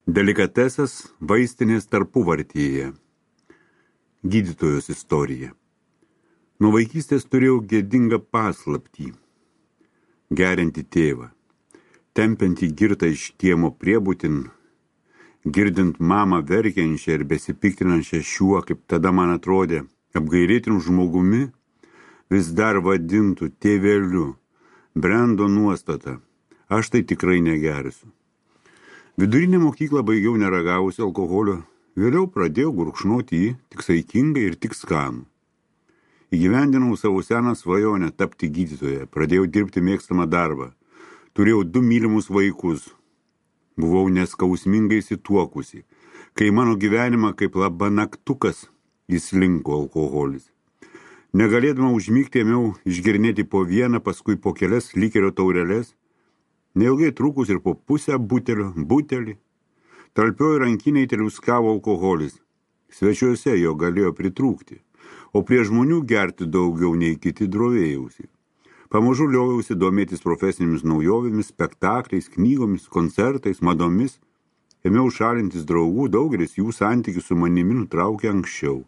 Delikatesas vaistinės tarpuvartyje. Gydytojos istorija. Nuo vaikystės turėjau gėdingą paslaptį. Geriantį tėvą. Tempiantį girtą iš kiemo priebutin, girdint mamą verkiančią ir besipiktinančią šiuo, kaip tada man atrodė, apgailėtinu žmogumi, vis dar vadintų tėveliu. Brendo nuostata. Aš tai tikrai negersiu. Vidurinę mokyklą baigiau neragavusi alkoholio, vėliau pradėjau gurkšnoti jį tik saikingai ir tik skanų. Įgyvendinau savo seną svajonę tapti gydytoja, pradėjau dirbti mėgstamą darbą, turėjau 2 mylimus vaikus, buvau neskausmingai įsituokusi, kai mano gyvenimą kaip labanaktukas įslinko alkoholis. Negalėdama užmigti, ėmiau išgernėti po vieną, paskui po kelias likerio taureles, neilgai trukus ir po pusę butelį, talpiojo rankiniai teliuskavo alkoholis. Svečiuose jo galėjo pritrūkti, o prie žmonių gerti daugiau nei kiti drovėjausi. Pamažu liovausi domėtis profesinėmis naujovėmis, spektakliais, knygomis, koncertais, madomis. Ėmiau šalintis draugų, daugelis jų santykių su manimi nutraukė anksčiau.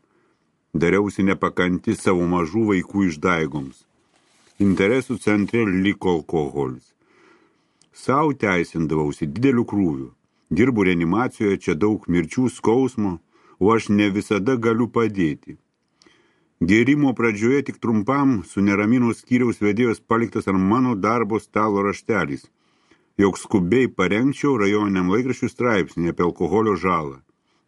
Dariausi nepakanti savo mažų vaikų išdaigoms. Interesų centre liko alkoholis. Sau teisindavausi dideliu krūviu. Dirbu reanimacijoje, čia daug mirčių, skausmo, o aš ne visada galiu padėti. Gėrimo pradžioje tik trumpam su neramino skyriaus vedėjos paliktas ant mano darbo stalo raštelis, jog skubiai parengčiau rajoniniam laikraščių straipsnį apie alkoholio žalą.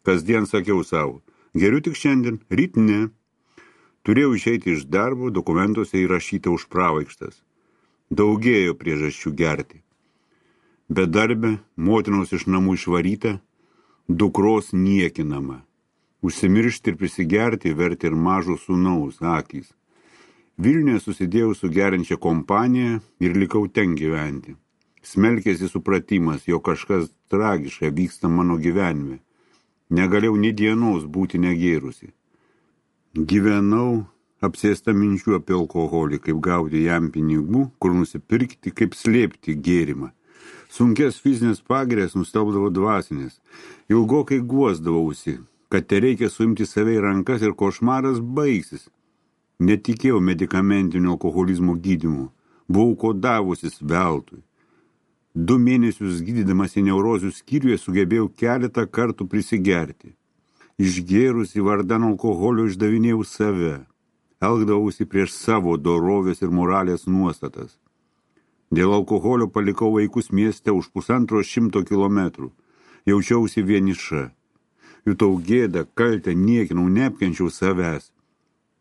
Kasdien sakiau savo, geriu tik šiandien, ryt ne. Turėjau išeiti iš darbo, dokumentuose įrašyta už pravaikštas. Daugėjo priežasčių gerti. Bedarbė, motinos iš namų išvaryta, dukros niekinama. Užsimiršti ir prisigerti verti ir mažo sūnaus akys. Vilniuje susidėjau su geriančia kompanija ir likau ten gyventi. Smelkėsi supratimas, jog kažkas tragiška vyksta mano gyvenime. Negalėjau nė dienos būti negėrusi. Gyvenau apsėsta minčių apie alkoholį, kaip gauti jam pinigų, kur nusipirkti, kaip slėpti gėrimą. Sunkės fizinės pagirės nustelbdavo dvasinės. Ilgokai guosdavausi, kad tereikia suimti save į rankas ir košmaras baigsis. Netikėjau medikamentinio alkoholizmo gydymu. Buvau kodavusis veltui. 2 mėnesius gydydamas į neurozių skyriuje sugebėjau keletą kartų prisigerti. Išgėrusi vardan alkoholio išdavinėjau save. Elgdavausi prieš savo dorovės ir moralės nuostatas. Dėl alkoholio palikau vaikus mieste už 150 kilometrų. Jaučiausi vieniša. Jutau gėdą, kaltę, niekinau, neapkenčiau savęs.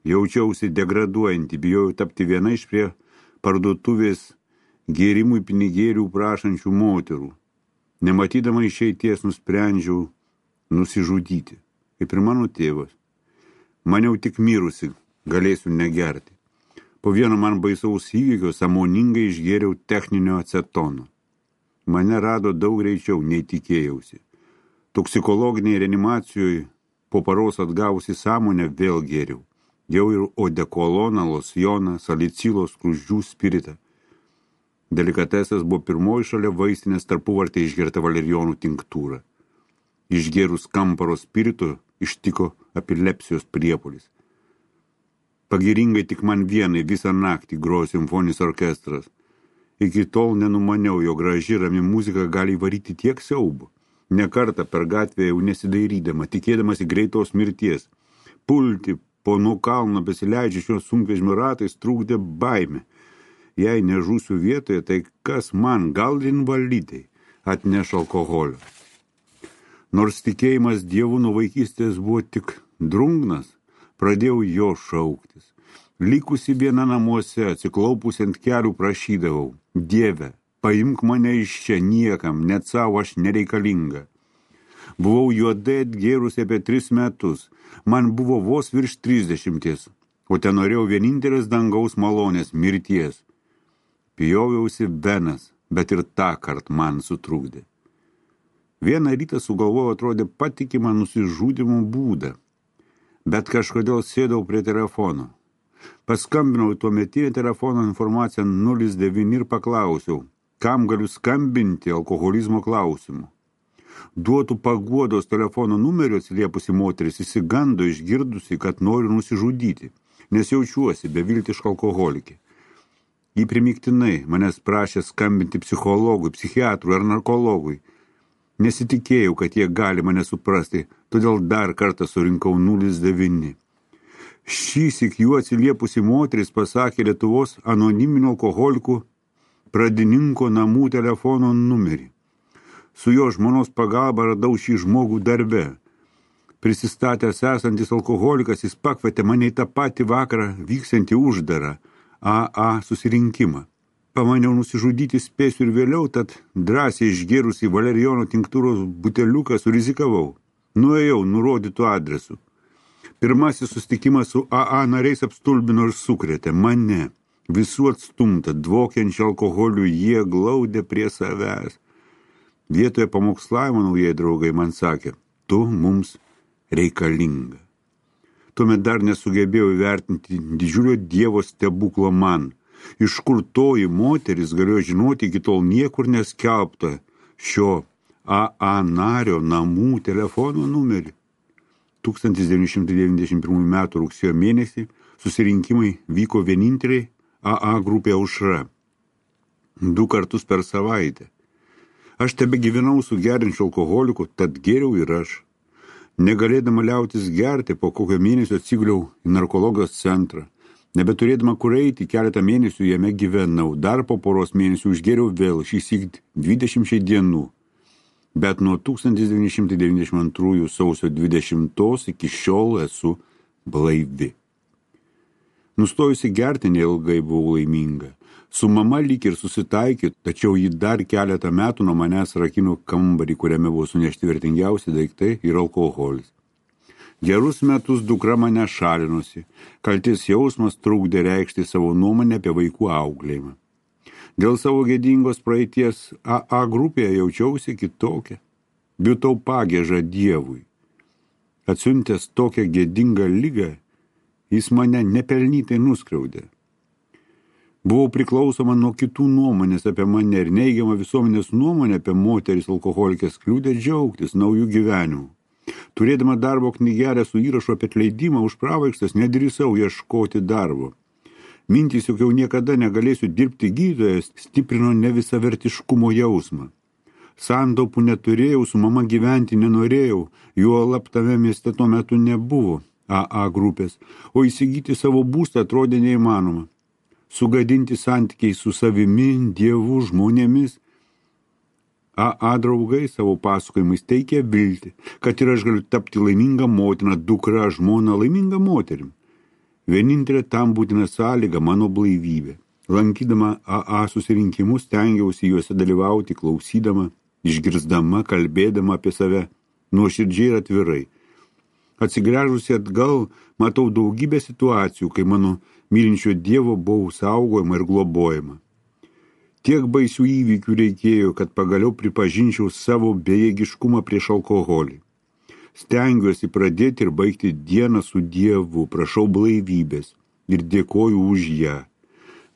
Jaučiausi degraduojantį, bijojau tapti viena iš prie parduotuvės gėrimui pinigėlių prašančių moterų. Nematydama išeities nusprendžiau nusižudyti, kaip ir mano tėvas. Maniau tik mirusi, galėsiu negerti. Po vieno man baisaus įvykio sąmoningai išgėriau techninio acetono. Mane rado daug greičiau, nei tikėjausi. Toksikologiniai reanimacijoje po paros atgavusi sąmonę vėl gėriau. Jau ir odekoloną, losjoną, salicilo, skruzdžių spiritą. Delikatesas buvo pirmoji šalia vaistinės tarpuvartė išgerta valerijonų tinktūra. Išgėrus kamparo spirito ištiko epilepsijos priepuolis. Pagiringai tik man vienai visą naktį grojo simfoninis orkestras. Iki tol nenumaniau, jo graži rami muzika gali įvaryti tiek siaubų. Ne kartą per gatvę jau nesidairydama, tikėdamas į greitos mirties. Pulti po nuo kalno besileidžiančios sunkvežimio ratais trukdė baimė. Jei nežūsiu vietoje, tai kas man, gal invalidai, atneš alkoholio. Nors tikėjimas Dievu nuo vaikystės buvo tik drungnas, pradėjau jo šauktis. Likusi viena namuose, atsiklaupusi ant kelių prašydavau, Dieve, paimk mane iš čia, niekam, net savo aš nereikalinga. Buvau juodai atgėrusi apie 3 metus, man buvo vos virš 30, o ten norėjau vienintelės dangaus malonės, mirties. Pjoviausi venas, bet ir tą kart man sutrukdė. Vieną rytą sugalvojau atrodė patikimą nusižudymo būdą, bet kažkodėl sėdau prie telefono. Paskambinau tuometinį telefono informaciją 09 ir paklausiau, kam galiu skambinti alkoholizmo klausimu. Duotų paguodos telefono numerio atsiliepusi moteris įsigando išgirdusi, kad noriu nusižudyti, nes jaučiuosi beviltiška alkoholikė. Ji primiktinai manęs prašė skambinti psichologui, psichiatrui ar narkologui. Nesitikėjau, kad jie gali mane suprasti, todėl dar kartą surinkau 09. Šįsyk jų atsiliepusi moteris pasakė Lietuvos anoniminių alkoholikų pradininko namų telefono numerį. Su jo žmonos pagalba radau šį žmogų darbe. Prisistatęs esantis alkoholikas, jis pakvietė mane į tą patį vakarą vyksiantį uždarą AA susirinkimą. Pamaniau nusižudyti spėsiu ir vėliau, tad drąsiai išgėrusi valerijono tinktūros buteliuką surizikavau. Nuėjau nurodytų adresu. Pirmasis susitikimas su AA nariais apstulbino ir sukrėtė mane. Visų atstumta, dvokiančią alkoholių jie glaudė prie savęs. Vietoje pamokslavimo naujai draugai man sakė, tu mums reikalinga. Tuomet dar nesugebėjau įvertinti didžiulio Dievo stebuklo man. Iš kur toji moteris galėjo žinoti iki tol niekur neskelbtą šio AA nario namų telefono numerį. 1991 m. rugsėjo mėnesį susirinkimai vyko vieninteliai AA grupė Aušra. 2 kartus per savaitę. Aš tebe gyvenau su geriančiu alkoholiku, tad geriau ir aš. Negalėdama liautis gerti, po kokio mėnesio atsiguliau į narkologijos centrą. Nebeturėdama kur eiti, keletą mėnesių jame gyvenau. Dar po poros mėnesių užgėriau vėl, šįsyk 20 dienų. Bet nuo 1992 sausio 20 iki šiol esu blaivi. Nustojusi gerti neilgai buvau laiminga. Su mama lyg ir susitaikė, tačiau ji dar keletą metų nuo manęs rakino kambarį, kuriame buvo sunešti vertingiausi daiktai ir alkoholis. Gerus metus dukra mane šalinosi. Kaltės jausmas trukdė reikšti savo nuomonę apie vaikų auklėjimą. Dėl savo gėdingos praeities AA grupėje jaučiausi kitokia. Jutau pagiežą Dievui. Atsiuntęs tokią gėdingą ligą, jis mane nepelnytai nuskriaudė. Buvau priklausoma nuo kitų nuomonės apie mane ir neigiama visuomenės nuomonė apie moteris alkoholikės kliūdė džiaugtis naujų gyvenimų. Turėdama darbo knygelę su įrašu apie atleidimą už pravaikštas, nedrįsau ieškoti darbo. Mintys, jog jau niekada negalėsiu dirbti gydytojas, stiprino nevisavertiškumo jausmą. Santaupų neturėjau, su mama gyventi nenorėjau, juolab tame mieste tuo metu nebuvo AA grupės, o įsigyti savo būstą atrodė neįmanoma. Sugadinti santykiai su savimi, Dievu, žmonėmis. AA draugai savo pasakojimais teikia viltį, kad ir aš galiu tapti laiminga motina, dukra, žmona, laiminga moterim. Vienintelė tam būtina sąlyga mano blaivybė. Lankydama AA susirinkimus stengiausi juose dalyvauti, klausydama, išgirsdama, kalbėdama apie save, nuoširdžiai ir atvirai. Atsigręžusi atgal, matau daugybę situacijų, kai mano mylinčio Dievo buvau saugojama ir globojama. Tiek baisių įvykių reikėjo, kad pagaliau pripažinčiau savo bejėgiškumą prieš alkoholį. Stengiuosi pradėti ir baigti dieną su Dievu, prašau blaivybės ir dėkoju už ją.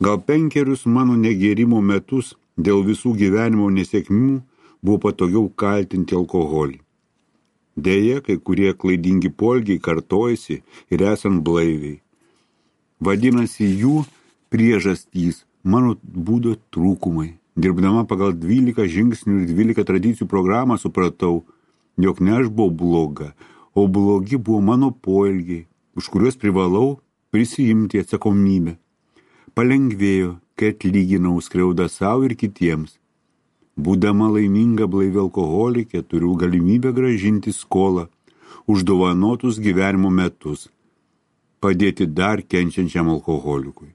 Gal 5 mano negėrimo metus dėl visų gyvenimo nesėkmių buvo patogiau kaltinti alkoholį. Deja, kai kurie klaidingi poelgiai kartojasi ir esant blaiviai. Vadinasi, jų priežastys mano būdo trūkumai. Dirbdama pagal 12 žingsnių ir 12 tradicijų programą supratau, jog ne aš buvau bloga, o blogi buvo mano poelgiai, už kuriuos privalau prisijimti atsakomybę. Palengvėjo, kai atlyginau skriaudą savo ir kitiems. Būdama laiminga blaivi alkoholikė, turiu galimybę grąžinti skolą už dovanotus gyvenimo metus, padėti dar kenčiančiam alkoholikui.